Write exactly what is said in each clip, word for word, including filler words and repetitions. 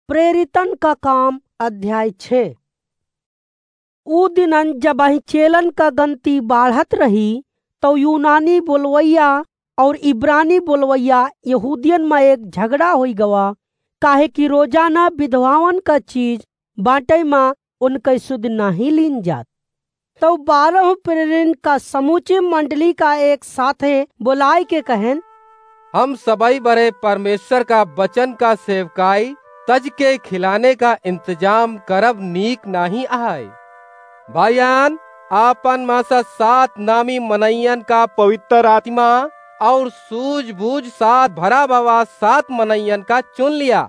प्रेरितन का काम, अध्याय छः। ऊ दिनन जबहिं चेलन का गनती बाढ़त रही, तौ यूनानी बोलवैया और इब्रानी बोलवैया यहूदियन मा एक झगड़ा होइ गवा, काहे कि रोजाना विधवावन का चीज बाँटै मा उनकै सुध नाहीं लीन जात। तौ बारह प्रेरिन का समूची मंडली का एक साथे बोलाइके कहेन, हम सबै बरे परमेश्वर का बचन का सेवकाई तज के खिलाने का इंतजाम करब नीक नाहीं आय। भाइयान, आपन मा सा सात नामी मनइयन का पवित्र आत्मा और सूझबूझ साथ भरा भवा सात मनइयन का चुन लिया।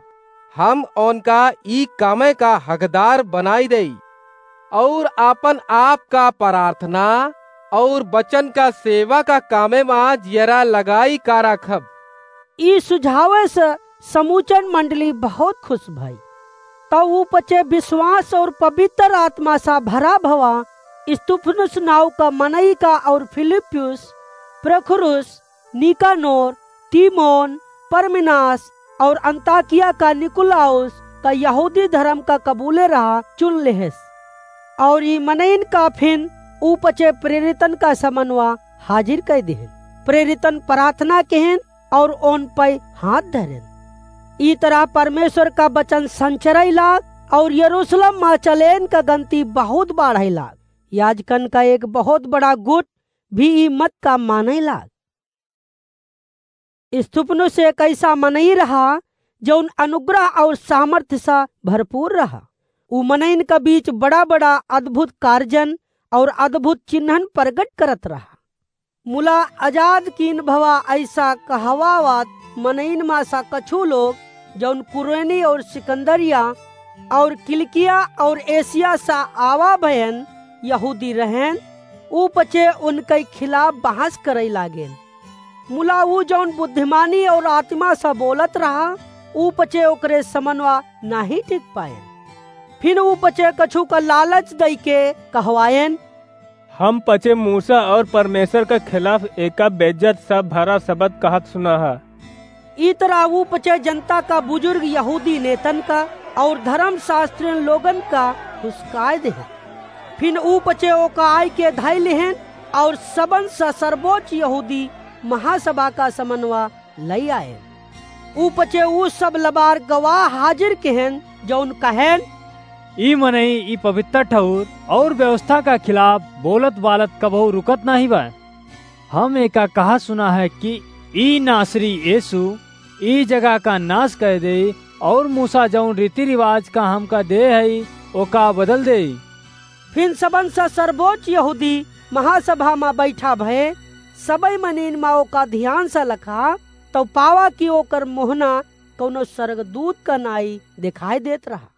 हम ओनका ई कामे का हकदार बनाई देई, और आपन आप का प्रार्थना और बचन का सेवा का कामे मा जियरा लगाई का राखब। ई सुझावे से समूचन मंडली बहुत खुश भई। तौ ऊ पचे विश्वास और पवित्र आत्मा सा भरा भवा स्तिफनुस नाव का मनई का और फिलिप्पुस, प्रोखोरुस, निकानोर, तीमोन, परमिनास और अंताकिया का निकुलाउस का यहूदी धरम का कबूले रहा चुन लेहेस। और ई मनइन का फिन ऊ पचे प्रेरितन का समनवा हाजिर कै देहेन। प्रेरितन प्रार्थना केहेन और ओन पै हाथ धरेन। ई तरह परमेश्वर का बचन संचरै लाग और यरूशलेम मा चलेन का गनती बहुत बाढ़ै लाग। याजकन का एक बहुत बड़ा गुट भी ई मत का मानै लाग। स्तिफनुस एक ऐसा मनई रहा, जौन अनुग्रह और सामर्थ्य सा भरपूर रहा। उ मनइन का बीच बड़ा-बड़ा अद्भुत कार्जन और अद्भुत चिन्हन प्रगट करत रहा। मुला आजाद कीन भवा ऐसा कहवावत मनइन मा सा कछु लोग, जौन कुरेनी और सिकंदरिया और किलिकिया और एशिया सा आवा भयन यहूदी रहेन, ऊ पचे उनकै खिलाफ बहस करै लागेन। मुला ऊ जौन बुद्धिमानी और आत्मा सा बोलत रहा, ऊ पचे ओकरे समनवा नाहीं टिक पाएन। फिन ऊ पचे कछु का लालच दइके कहवाएन, हम पचे मूसा और परमेश्वर का खिलाफ एका बेइज्जत सा भरा शब्द कहत सुना है। ई तरह ऊ पचे जनता का बुजुर्ग यहूदी नेतन का और धर्मशास्त्रियन लोगन का हुसकाय देहेन। फिन ऊ पचे ओका आइके धइ लेहेन और सबन सा सर्वोच्च यहूदी महासभा का समनवा लइ आएन। ऊ पचे ऊ सब लबार गवाह हाजिर केहेन, जौन कहेन, ई मनई ई पवित्र ठौर और व्यवस्था का खिलाफ बोलत बालत कबहू रुकत नाहीं बा। हम एका कहा सुना है कि ई नासरी यीशु ई जगह का नाश कर देई और मूसा जौन रीति रिवाज का हमका दे हई, ओका बदल देई। फिन सबन सा सर्वोच्च यहूदी महासभा मा बैठा भए, सबै मनीन मा ओका ध्यान सा लखा, तौ पावा कि ओकर मोहना कौनो स्वर्गदूत का नाई देखाई देत रहा।